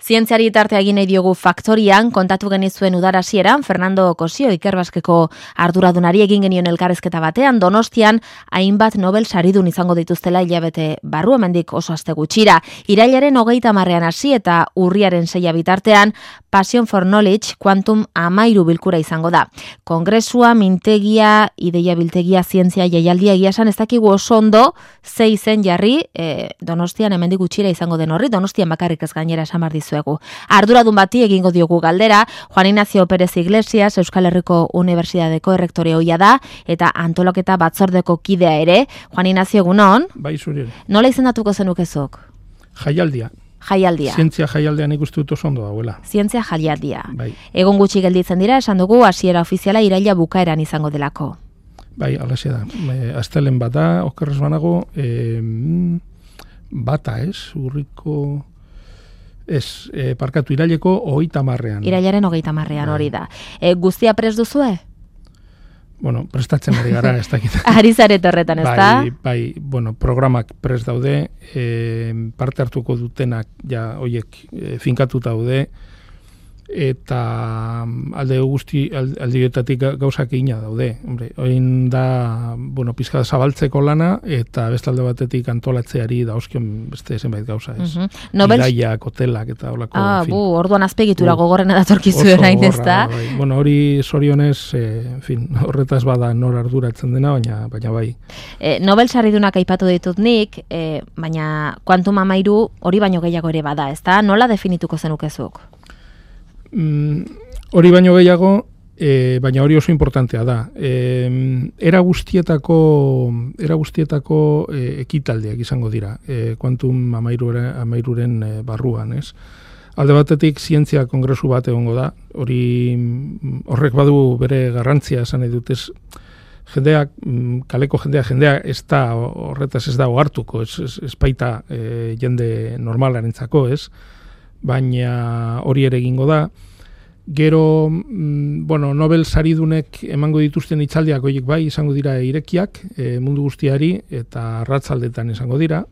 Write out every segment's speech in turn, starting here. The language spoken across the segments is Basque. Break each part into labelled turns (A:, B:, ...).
A: Zientziari tartea egin nahi diogu Faktorian, kontatu genizuen udara hasieran, Fernando Cosio Ikerbaskeko arduradunari egin genion elkarrezketa batean, Donostian hainbat Nobel saridun izango dituztela hilabete barru, hemendik oso aste gutxira. Irailaren 30 hasi eta urriaren 6 bitartean, Passion for Knowledge Quantum 13 bilkura izango da. Kongresua, mintegia, ideia biltegia, zientzia jaialdia egia esan ez dakigu oso ondo, ze izen jarri, Donostian hemendik gutxira izango den horri, Donostian bakarrik ez gainera esan behar dizuegu. Arduradun bati egingo diogu galdera, Juan Ignacio Pérez Iglesias, Euskal Herriko Unibertsitateko errektore ohia da, eta antolaketa batzordeko kidea ere. Juan Ignacio, egunon?
B: Bai, zuri.
A: Nola izendatuko zenukezuk?
B: Jaialdia.
A: Jaialdia.
B: Zientzia jaialdean ikustu dut oso ondo dauela.
A: Zientzia jaialdia.
B: Bai.
A: Egun gutxi gelditzen dira, esan dugu hasiera ofiziala iraila bukaeran izango delako.
B: Bai, alaxe da. Astelen bat da, okerrez banago, bata ez, urriko... Ez, parkatu iraileko 30.
A: Irailaren 30. Hori da. Guztia prest duzue?
B: Bueno, prestatzen ari gara, ez dakit.
A: Ari zaret horretan, ez da?
B: Bai, bueno, programak prest daude, parte hartuko dutenak, ja, oiek, finkatuta daude, eta aldeetatik gauzak egina daude. Hombre, oin da, bueno, pizka zabaltzeko lana, eta bestalde batetik antolatzeari dauzkion beste zenbait gauza, ez? Bidaiak, hotelak, eta holako, fin.
A: Orduan azpegitura gogorrena datorkizu erain, ez da?
B: Bai. Bueno, hori zorionez, horretaz bada nor arduratzen dena, baina bai.
A: Nobel saridunak aipatu ditut nik, baina Quantum 13 hori baino gehiago ere bada, ez da? Nola definituko zenukezuk?
B: Hori baino gehiago, baina hori oso importantea da. Era guztietako ekitaldiak izango dira, Quantum 13ren barruan, ez? Alde batetik zientzia kongresu bat egongo da, horrek badu bere garrantzia esan nahi dut, ez? Jendeak, kaleko jendea ez da, horretaz ez da ohartuko, ez baita jende normalarentzako, ez? Baina hori ere egingo da. Gero, Nobel saridunek emango dituzten hitzaldiak horiek bai izango dira irekiak mundu guztiari eta arratzaldetan izango dira.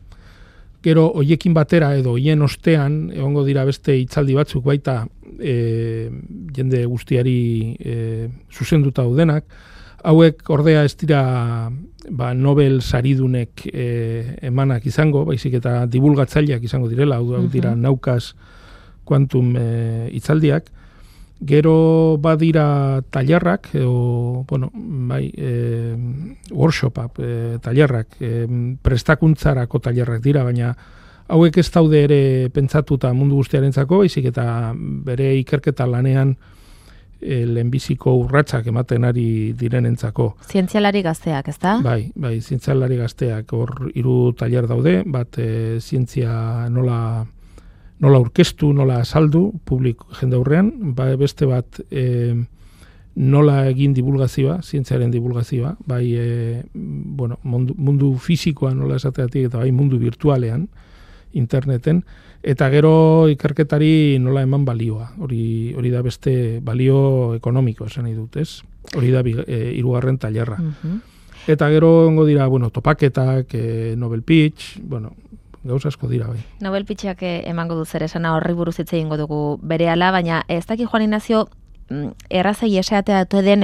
B: Gero, horiekin batera edo hien ostean egongo dira beste hitzaldi batzuk baita jende guztiari zuzenduta daudenak. Hauek ordea ez dira Nobel saridunek emanak izango, baizik eta divulgatzaileak izango direla, hau dira naukaz Quantum hitzaldiak. Gero badira tailerrak, workshopak, tailerrak, prestakuntzarako tailerrak dira, baina hauek ez daude ere pentsatuta mundu guztiarentzako, baizik eta bere ikerketa lanean lehenbiziko urratsak ematen ari direnentzako.
A: Zientzialari gazteak, ez da?
B: Bai, zientzialari gazteak, hor 3 tailer daude, bat zientzia nola aurkeztu, nola azaldu, jende aurrean, beste bat nola egin divulgazioa, zientziaren divulgazioa, bai mundu fisikoa nola esateatik, eta bai mundu virtualean, interneten, eta gero ikerketari nola eman balioa. Hori da beste balio ekonomiko, esan nahi dut, ez? Hori da 3. tailerra. Eta gero ongo dira, topaketak, Nobel Pitch, gauza asko dira, bai.
A: Nobel Pitchak emango du zer esana horri buruz hitz egingo dugu berehala, baina ez daki Juan Ignacio errazei esatea den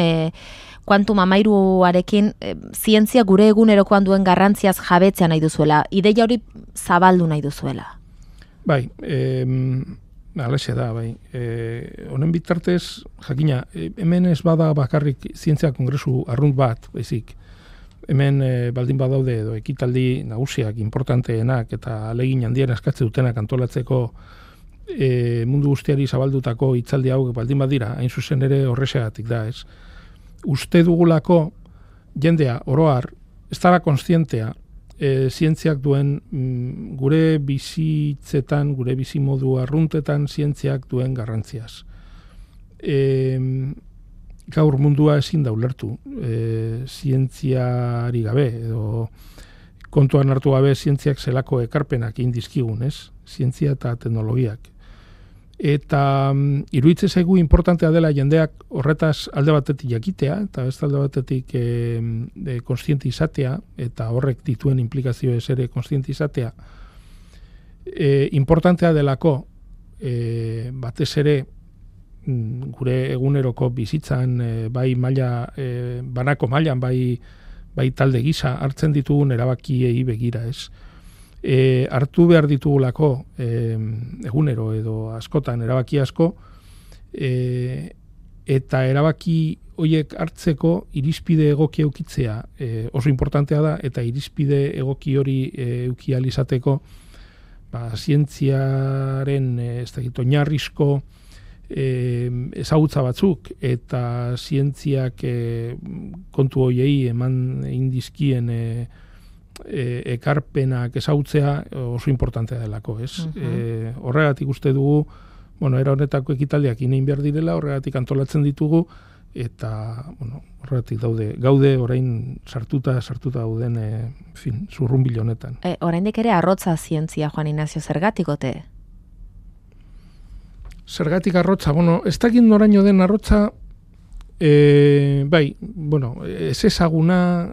A: Quantum 13arekin zientzia gure egunerokoan duen garrantziaz jabetzea nahi duzuela, ideia hori zabaldu nahi duzuela. Bai,
B: alaxe da, bai. Honen bitartez, jakina, hemen ez bada bakarrik zientzia kongresu arrunt bat, baizik. Hemen baldin badaude edo ekitaldi nagusiak, importanteenak eta ahalegin handien eskatzen dutenak antolatzeko mundu guztiari zabaldutako hitzaldi hauek baldin badira, hain zuzen ere horrexegatik da, ez? Uste dugulako jendea oro har ez dara kontzientea zientziak duen gure bizitzetan, gure bizimodu arruntetan zientziak duen garrantziaz. Gaur mundua ezin da ulertu, zientziari gabe, edo kontuan hartu gabe zientziak zelako ekarpenak indizkigun, ez? Zientzia eta teknologiak. Eta iruditzen zaigu importantea dela jendeak horretaz alde batetik jakitea, eta ez alde batetik kontziente izatea, eta horrek dituen implikazioez ere kontziente izatea. Importantea delako batez ere gure eguneroko bizitzan bai maila banako mailan bai talde gisa hartzen ditugun erabakiei begira, ez? Hartu behar ditugulako egunero edo askotan erabaki asko, eta erabaki horiek hartzeko irizpide egoki eukitzea oso importantea da, eta irizpide egoki hori euki ahal izateko zientziaren oinarrizko ezagutza batzuk eta zientziak kontu horiei eman indizkien ekarpenak ezagutzea oso importantea delako, ez? Horregatik uste dugu, era honetako ekitaldiak inein behar direla, horregatik antolatzen ditugu, eta horregatik gaude orain sartuta dauden zurrunbil honetan.
A: Oraindik ere arrotza zientzia, Juan Ignacio, zergatik ote?
B: Zergatik arrotza, ez dakit noraino den arrotza, ez ezaguna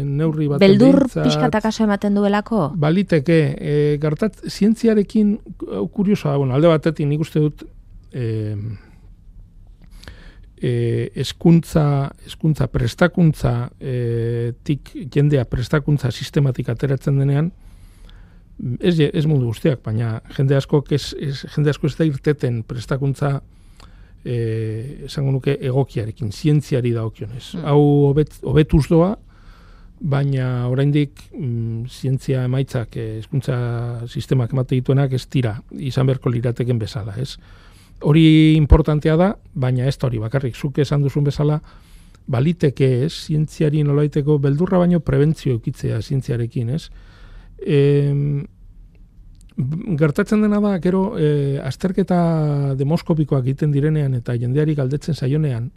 B: neurri bat.
A: Beldur pixkatakaso ematen duelako?
B: Baliteke, zientziarekin kuriosoa da, alde batetik nik uste dut hezkuntza prestakuntza tik jendea prestakuntza sistematik ateratzen denean, ez mundu guztiak, baina jende asko ez da irteten prestakuntza esango nuke egokiarekin, zientziari dagokionez. Hau hobetuz doa, baina oraindik zientzia emaitzak hezkuntza sistemak emate dituenak ez dira izan beharko lirateken bezala, ez? Hori importantea da, baina ez da hori bakarrik, zuk esan duzun bezala, baliteke ez, zientziari nolaiteko beldurra baino prebentzio eukitzea zientziarekin, ez? Gertatzen dena da, gero, azterketa demoskopikoak egiten direnean eta jendeari galdetzen zaionean,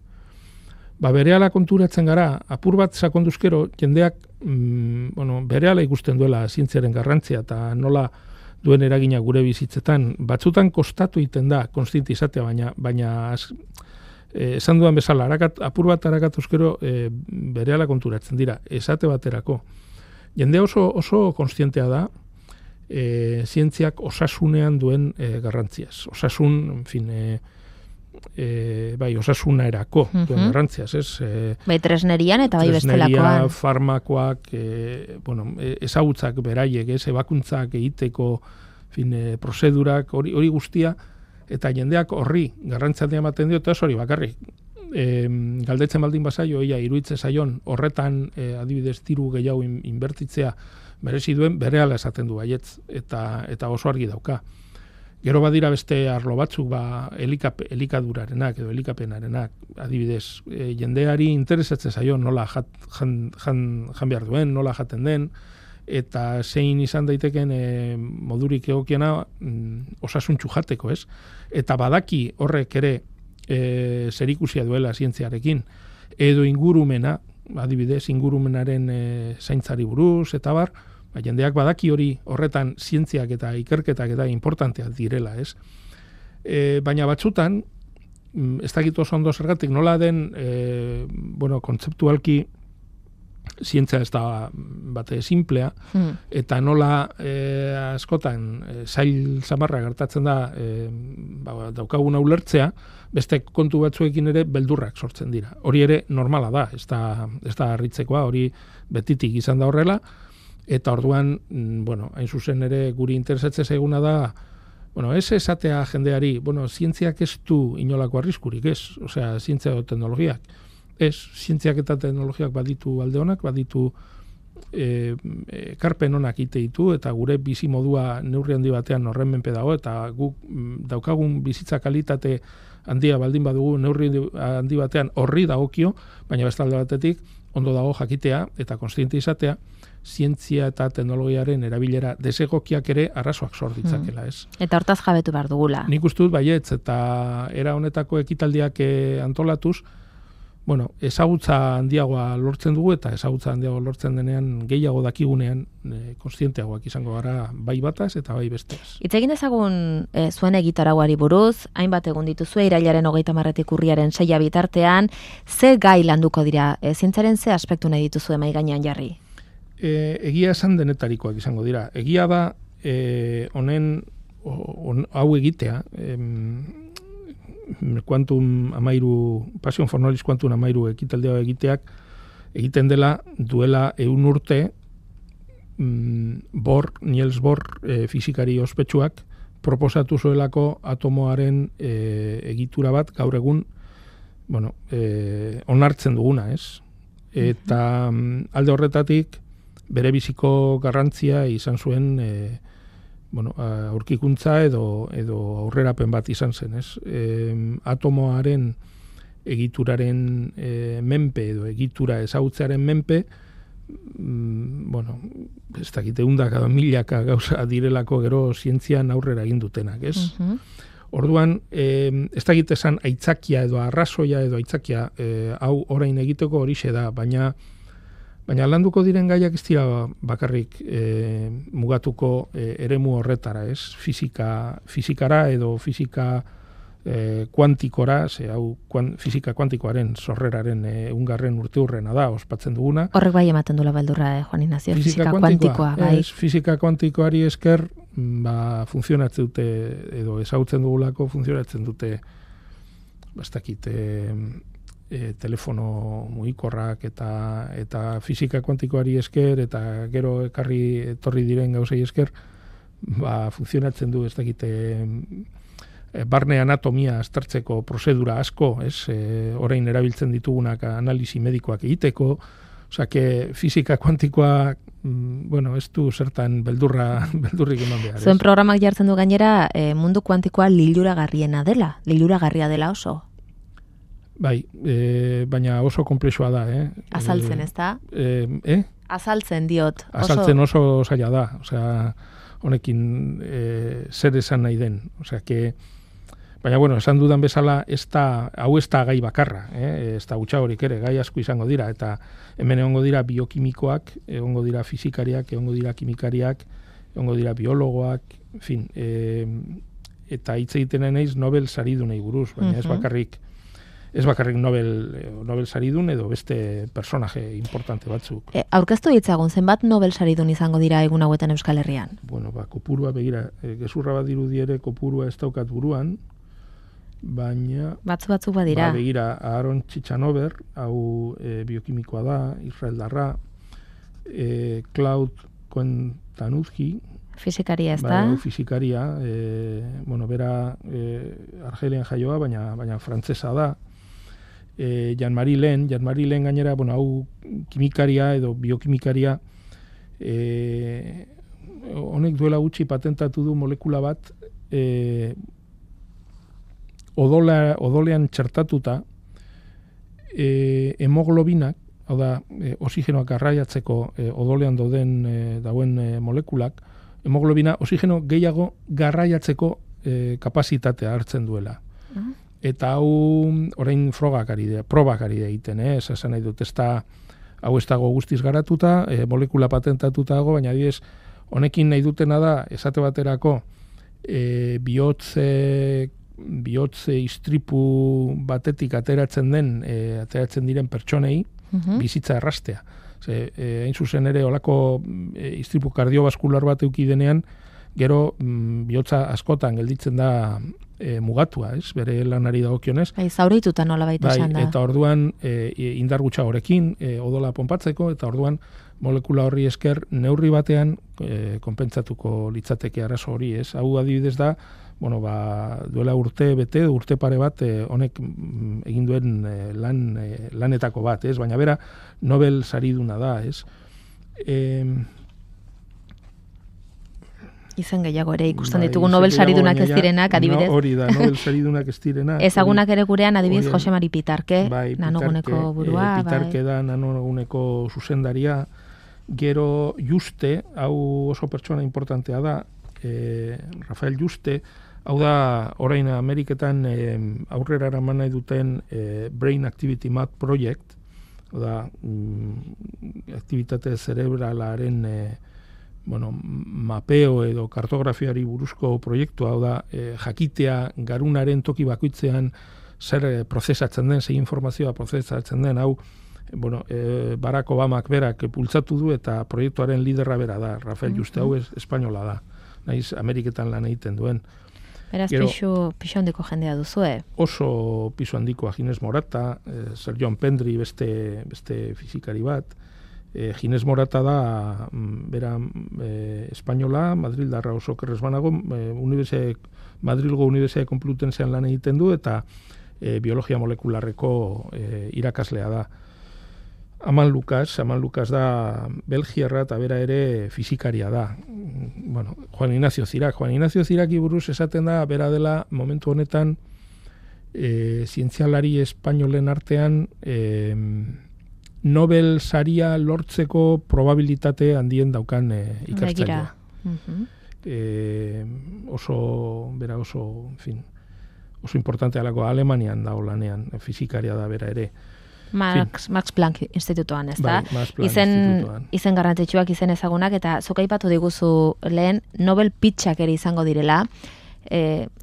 B: berehala konturatzen gara, apur bat sakonduzkero, jendeak berehala ikusten duela zientziaren garrantzia eta nola duen eragina gure bizitzetan. Batzutan kostatu egiten da, konstienti izatea, baina esan dudan bezala, apur bat harakatuzkero berehala konturatzen dira, esate baterako. Jende oso konstientea da, zientziak osasunean duen garrantziaz. Osasun, osasunerako duen garrantziaz, ez?
A: Tresnerian eta bai bestelakoan.
B: Tresneria, farmakoak, ezagutzak beraiek, ebakuntzak egiteko, prozedurak, hori guztia, eta jendeak horri garrantzia ematen dio, eta hori bakarrik. Galdetzen baldin bazaio, iruditzen zaion, horretan adibidez diru gehiago inbertitzea merezi duen, berehala esaten du baietz, eta oso argi dauka. Gero badira beste arlo batzuk, elikadurarenak edo elikapenarenak, adibidez, jendeari interesatzen zaion nola jan behar duen, nola jaten den, eta zein izan daiteken modurik egokiena osasuntsu jateko, ez? Eta badaki horrek ere zerikusia duela zientziarekin, edo ingurumena, adibidez, ingurumenaren zaintzari buruz, eta bar, jendeak badaki hori horretan zientziak eta ikerketak eta importanteak direla, ez? Baina batzutan, ez dakit oso ondo zergatik, nola den, kontzeptualki zientzia ez da bate simplea, eta nola askotan zail zamarra gertatzen da daukaguna ulertzea, beste kontu batzuekin ere beldurrak sortzen dira. Hori ere normala da, ez da harritzekoa, hori betitik izan da horrela, eta orduan, hain zuzen ere guri interesatzen zaiguna da, ez esatea jendeari, zientziak ez du inolako arriskurik, ez? Osea, zientzia edo teknologiak. Ez, zientziak eta teknologiak baditu alde honak, baditu ekarpen honak ite ditu, eta gure bizi modua neurri handi batean horren menpe dago, eta guk daukagun bizitza kalitate handia baldin badugu neurri handi batean horri dagokio, baina beste alde batetik ondo dago jakitea eta konstiente izatea, zientzia eta teknologiaren erabilera desegokiak ere arrazoak sor ditzakela, ez?
A: Eta hortaz jabetu behar dugula.
B: Nik uste dut baietz, eta era honetako ekitaldiak antolatuz, ezagutza handiagoa lortzen dugu, eta ezagutza handiagoa lortzen denean gehiago dakigunean konstienteagoak izango gara bai bataz eta bai besteaz.
A: Hitz egin dezagun zuen egitarauari buruz, hainbat egun dituzue irailaren 30 urriaren 6 bitartean, ze gai landuko dira, zientzaren ze aspektu nahi dituzue mahai gainean jarri?
B: Egia esan denetarikoak izango dira. Egia da, honen hau egitea, Passion for Knowledge Quantum amairu ekitaldea egiteak, egiten dela duela 100 urte Niels Bohr fisikari ospetsuak proposatu zuelako atomoaren egitura bat gaur egun onartzen duguna, ez? Eta alde horretatik bere biziko garrantzia izan zuen aurkikuntza edo aurrerapen bat izan zen, ez? Atomoaren egituraren menpe edo egitura ezagutzearen menpe, ez dakite hundaka milaka gauza direlako gero zientzian aurrera egin dutenak, ez? Orduan, ez dakite esan aitzakia edo arrazoia edo aitzakia hau orain egiteko horixe da, baina landuko diren gaiak ez dira bakarrik mugatuko eremu horretara, ez? Fizikara edo fizika kuantikora, fizika kuantikoaren sorreraren 100. urteurrena da, ospatzen duguna.
A: Horrek bai ematen dula beldurra, Juan Ignacio, fizika kuantikoa, bai.
B: Fizika kuantikoari esker, funtzionatzen dute, edo ezagutzen dugulako, funtzionatzen dute, telefono mugikorrak eta fizika kuantikoari esker, eta gero etorri diren gauzei esker, funtzionatzen du, ez dakite, barne anatomia aztertzeko prozedura asko, ez? Orain erabiltzen ditugunak analisi medikoak egiteko, osea, fizika kuantikoa, ez du zertan beldurrik eman behar.
A: Zuen programak jartzen du gainera, mundu kuantikoa liluragarria dela oso.
B: Bai, baina oso komplexua da,
A: Azaltzen, ez da? Azaltzen diot.
B: Azaltzen oso zaila da, osea, honekin zer esan nahi den, osea, baina, esan dudan bezala, hau ez da gai bakarra, ez da gutxagorik ere, gai asko izango dira, eta hemen egongo dira biokimikoak, egongo dira fizikariak, egongo dira kimikariak, egongo dira biologoak, en fin, eta hitz egiten naiz Nobel saridunei buruz, baina ez bakarrik Nobel saridun edo beste personaje importante batzuk.
A: Aurkeztu ditzagun, zenbat Nobel saridun izango dira egun hauetan Euskal Herrian?
B: Kopurua, begira, gezurra bat dirudiere kopurua ez daukat buruan, baina...
A: Batzuk badira.
B: Begira, Aaron Txitxanover, hau biokimikoa da, israeldarra, Claude Koentanuzki,
A: fizikaria, ez da?
B: Fizikaria, bera Argelian jaioa, baina frantzesa da. Jean-Marie Len gainera, hau kimikaria edo biokimikaria, honek duela gutxi patentatu du molekula bat, odolean txertatuta, hemoglobinak, hau da, oxigenoak garraiatzeko odolean dauen molekulak, hemoglobina oxigeno gehiago garraiatzeko kapazitatea hartzen duela. Eta hau orain probak ari da egiten, esan nahi dut, hau ez dago guztiz garatuta, molekula patentatuta dago, baina adibidez, honekin nahi dutena da, esate baterako, bihotze istripu batetik ateratzen diren pertsonei, bizitza errastea. Hain zuzen ere, olako istripu kardiobaskular bat eduki denean, gero bihotza askotan gelditzen da mugatua, bere lanari dagokionez.
A: Zaurituta nola baita esan da.
B: Eta orduan indar gutxagorekin odola ponpatzeko, eta orduan molekula horri esker neurri batean konpentsatuko litzateke arazo hori, ez? Hau adibidez da, duela urte pare bat honek egin duen lanetako bat, ez? Baina bera Nobel sariduna da, ez?
A: Izan gehiago ere ikusten ditugu Nobel saridunak ez direnak, adibidez.
B: Hori da, Nobel saridunak ez direnak.
A: Ezagunak ere gurean, adibidez, Jose Mari Pitarke, nanoguneko burua.
B: Pitarke da nanoguneko zuzendaria. Gero Juste, hau oso pertsona importantea da, Rafael Juste, hau da, orain Ameriketan aurrera eraman nahi duten Brain Activity Map Project, hau da, aktivitate zerebralaren mapeo edo kartografiari buruzko proiektua, hau da, jakitea garunaren toki bakoitzean zer prozesatzen den, zer informazioa prozesatzen den, hau, Barack Obamak berak pultzatu du eta proiektuaren liderra bera da, Rafael Juste, hau espainola da. naiz Ameriketan lan egiten duen.
A: Beraz, pisu handiko jendea duzue.
B: Oso pisu handikoa, Ginés Morata, Sergio Pendri beste fizikari bat. Ginés Morata da, bera espainola, Madrildarra oso kerrez banago, Madrilgo Unibertsitate Complutensean lan egiten du, eta biologia molekularreko irakaslea da. Aman Lukas da Belgiarra eta bera ere fizikaria da. Bueno, Juan Ignacio Ziraki buruz esaten da, bera dela momentu honetan zientzialari espainolen artean Nobel saria lortzeko probabilitate handien daukan ikertzailea. Oso importante alako Alemanian da lanean, fizikaria da bera ere.
A: Max Planck institutoan, ez da? Izen garrantzitsuak, izen ezagunak, eta zuk aipatu diguzu lehen Nobel pitxak ere izango direla.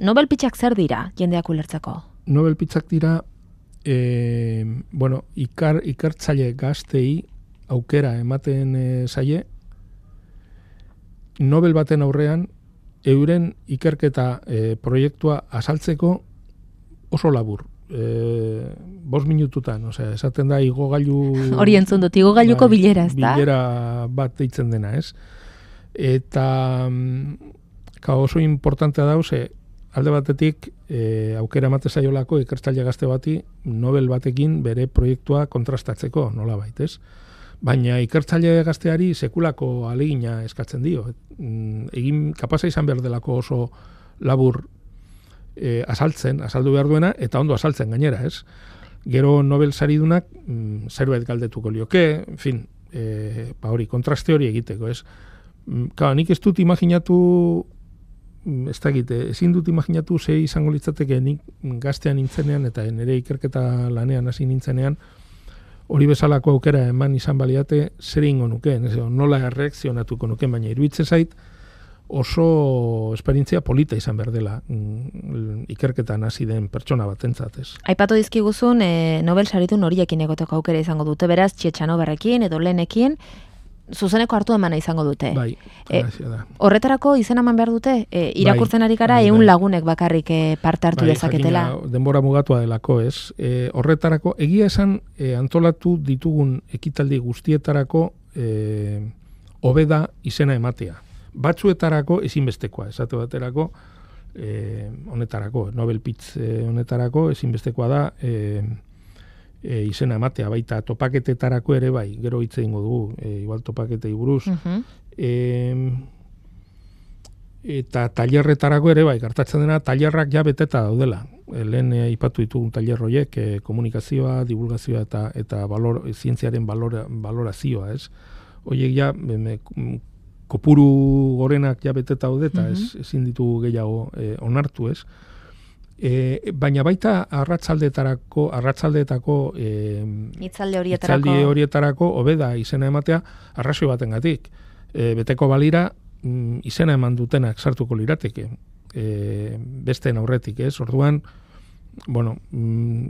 A: Nobel pitxak zer dira, jendeak ulertzeko?
B: Nobel pitxak dira, ikertzaile gaztei aukera ematen zaie, Nobel baten aurrean, euren ikerketa proiektua azaltzeko oso labur. 5 minututan, esaten da igogailu...
A: Hori entzun dut, igogailuko bilera, ez da?
B: Bilera bat deitzen dena, ez? Eta oso importantea da, alde batetik aukera emate zaiolako ikertzaile gazte bati Nobel batekin bere proiektua kontrastatzeko, nolabait, ez? Baina ikertzaile gazteari sekulako alegina eskatzen dio. Kapasa izan behar delako oso labur azaldu behar duena, eta ondo azaltzen gainera, ez? Gero Nobel saridunak zerbait galdetuko lioke, en fin, hori, kontraste hori egiteko, ez? Nik ez dut imaginatu, ezin dut imaginatu ze izango litzateke nik gaztean nintzenean, eta nire ikerketa lanean hasi nintzenean, hori bezalako aukera eman izan baliate zer ingo nuke, nola erreakzionatuko nuke, baina iruditzen zait, oso esperientzia polita izan behar dela ikerketan hasi den pertsona batentzat, ez.
A: Aipatu dizkiguzun Nobel saridun horiekin egoteko aukera izango dute, beraz, Txetxanoberrekin edo Lenekin, zuzeneko hartu emana izango dute.
B: Bai, da.
A: Horretarako izena eman behar dute, irakurtzen ari gara, 100 lagunek bakarrik parte hartu dezaketela.
B: Jakina, denbora mugatua delako, ez. Horretarako, egia esan antolatu ditugun ekitaldi guztietarako hobeda izena ematea. Batzuetarako ezinbestekoa, esate baterako, honetarako, Nobel Pitz honetarako ezinbestekoa da izena ematea, baita topaketetarako ere bai, gero hitz egingo dugu, igual topaketei buruz. Eta tailerretarako ere bai, gertatzen dena, tailerrak ja beteta daudela. Lehen aipatu ditugun tailer horiek, komunikazioa, divulgazioa eta zientziaren balorazioa, ez? Horiek ja, kopuru gorenak ja beteta daude, eta ezin ditugu gehiago onartu, ez? Baina baita arratsaldeetako hitzaldi horietarako hobeda izena ematea arrazoi batengatik. Beteko balira izena eman dutenak sartuko lirateke. Besteen aurretik, ez? Orduan,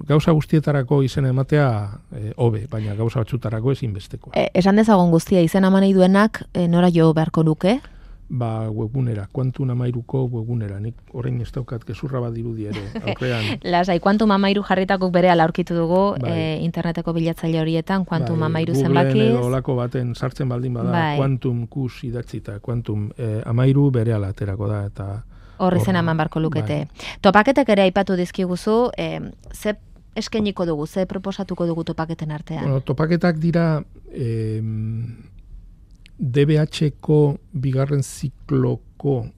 B: gauza guztietarako izena ematea hobe, baina gauza batzutarako ezinbestekoa.
A: Esan dezagon guztia izena eman nahi duenak nora jo beharko luke?
B: Webgunera, Quantum Amairuko webgunera. Nik orain ez daukat gezurra bat dirudi ere, aurrean.
A: Lasai, Quantum Amairu jarritakok berehala aurkitu dugu interneteko bilatzaile horietan, Quantum Amairu zenbakiz.
B: Googleen edo olako baten sartzen baldin bada, Quantum kus idatzita, Quantum Amairu berehala aterako da, eta
A: horri zen eman barko lukete. Topaketek ere aipatu dizkiguzu, ze eskainiko dugu, ze proposatuko dugu topaketen artean?
B: Topaketak dira DBH-ko bigarren zikloko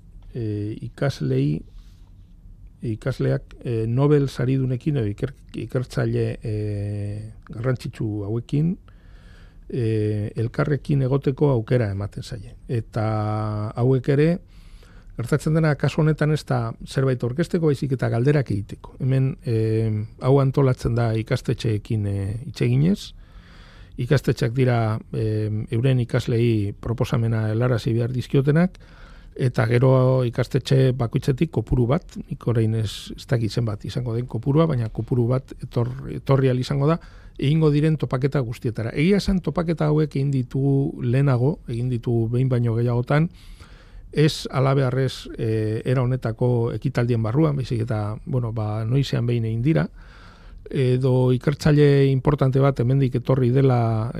B: ikasleak Nobel saridunekin edo ikertzaile garrantzitsu hauekin elkarrekin egoteko aukera ematen zaie. Eta hauek ere, gertatzen dena, kasu honetan ez da zerbait orkesteko, baizik eta galderak egiteko. Hemen hau antolatzen da ikastetxeekin hitz eginez. Ikastetxeak dira euren ikaslei proposamena helarazi behar dizkiotenak, eta gero ikastetxe bakoitzetik kopuru bat, nik orain ez dakit zenbat izango den kopurua, baina kopuru bat etorrial izango da, egingo diren topaketa guztietara. Egia esan topaketa hauek egin ditugu lehenago, egin ditugu behin baino gehiagotan, ez alabearrez era honetako ekitaldien barruan, baizik eta, noizean behin egin dira, edo ikertzaile importante bat hemendik etorri dela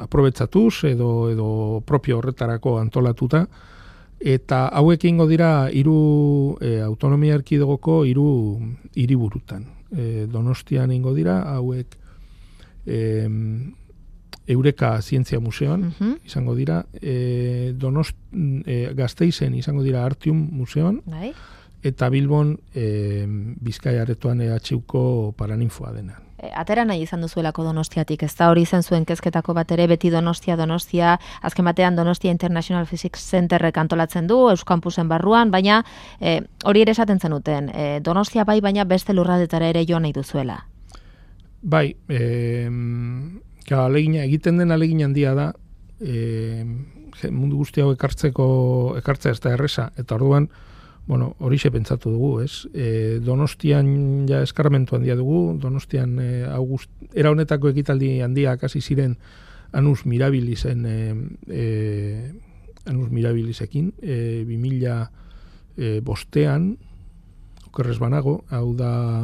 B: aprobetxatuz edo propio horretarako antolatuta, eta hauek ingo dira autonomia erkidegoko 3 hiriburutan. Donostian ingo dira, hauek Eureka Zientzia Museoan izango dira, Gasteizen izango dira Artium Museoan, eta Bilbon Bizkaia aretoan EHUko Paraninfoa dena.
A: Atera nahi izan duzuelako Donostiatik, ez da hori izan zuen kezketako bat ere, beti Donostia, azken batean Donostia International Physics Centerrek antolatzen du, Euskampusen barruan, baina hori ere esaten zenuten, Donostia bai, baina beste lurraldetara ere joan nahi duzuela.
B: Bai, egiten den alegin handia da, mundu guzti hau ekartzea ez da erresa, eta orduan, horixe pentsatu dugu, ez? Donostian ja eskarmentu handia dugu, Donostian era honetako ekitaldi handiak hasi ziren Anus Mirabilisen, Anus Mirabilisekin, 2005an, okerrez banago, hau da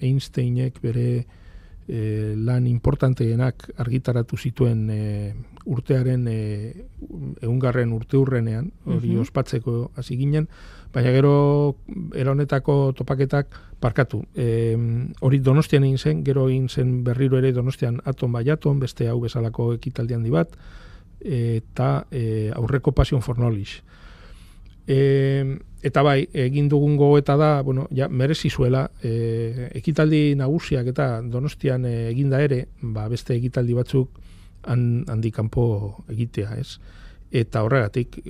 B: Einsteinek bere lan importanteenak argitaratu zituen urtearen 100. urteurrenean, hori ospatzeko hasi ginen, baina gero era honetako topaketak parkatu. Hori Donostian egin zen, gero egin zen berriro ere Donostian Atom by Atom, beste hau bezalako ekitaldi handi bat, eta aurreko Passion for Knowledge. Eta bai, egin dugun gogoeta da, merezi zuela, ekitaldi nagusiak eta Donostian eginda ere, beste ekitaldi batzuk handik kanpo egitea, ez? Eta horregatik,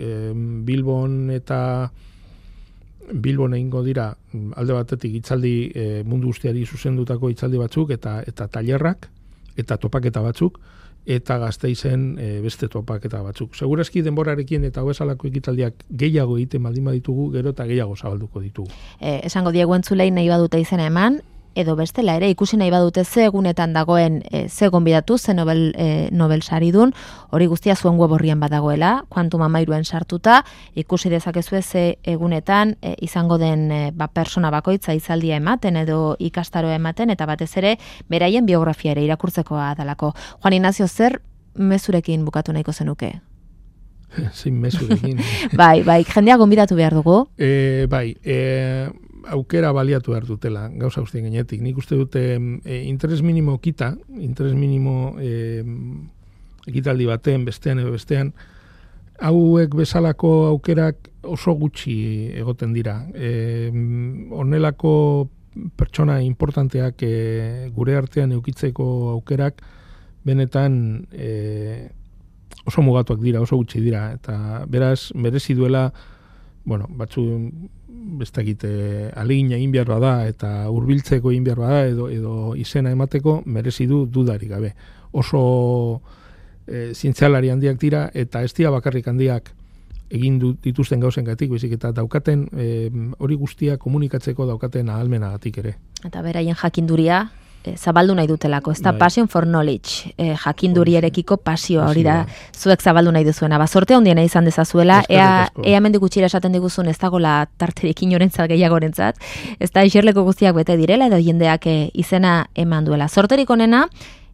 B: Bilbon egingo dira alde batetik hitzaldi mundu guztiari zuzendutako hitzaldi batzuk eta tailerrak eta topaketa batzuk, eta Gasteizen beste topaketa batzuk. Segurazki denborarekin eta bezalako ekitaldiak gehiago egiten baldin baditugu, gero eta gehiago zabalduko ditugu.
A: Esango diegu entzulei nahi badute izena eman, edo bestela ere ikusi nahi badute ze egunetan dagoen ze gonbidatu, ze Nobel saridun, hori guztia zuen web orrian badagoela, Quantum Amairuen sartuta, ikusi dezakezue ze egunetan izango den persona bakoitza hitzaldia ematen edo ikastaroa ematen, eta batez ere beraien biografia ere irakurtzekoa dalako. Juan Ignacio, zer mezurekin bukatu nahiko zenuke?
B: Zein mezurekin?
A: Bai, jendea gonbidatu behar dugu?
B: Aukera baliatu behar dutela, gauza guztien gainetik. Nik uste dute interes minimo ekitaldi baten, bestean, hauek bezalako aukerak oso gutxi egoten dira. Honelako pertsona importanteak gure artean eukitzeko aukerak benetan oso mugatuak dira, oso gutxi dira, eta beraz merezi duela, batzu bestakit alegina egin behar bada eta hurbiltzeko egin behar bada edo izena emateko merezi du dudarik gabe. Oso zientzialari handiak dira eta ez dira bakarrik handiak egin dituzten gauzengatik, baizik eta daukaten hori guztia komunikatzeko daukaten ahalmenagatik ere.
A: Eta beraien jakinduria zabaldu nahi dutelako, ez da Passion for Knowledge, jakindurierekiko pasioa, hori da zuek zabaldu nahi duzuena. Sorte handiena izan dezazuela, ea hemendik gutxira esaten diguzun ez dagola tarterekin orentzat gehiagorentzat, ez da iserleko guztiak bete direla edo jendeak izena eman duela. Sorterik onena,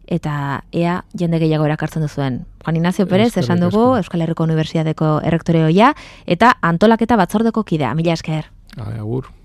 A: eta ea jende gehiago erakartzen duzuen. Juan Ignacio Pérez, esan dugu, Euskal Herriko Unibertsitateko errektoreoia, eta antolaketa batzordeko kidea. Mila esker.
B: Agur.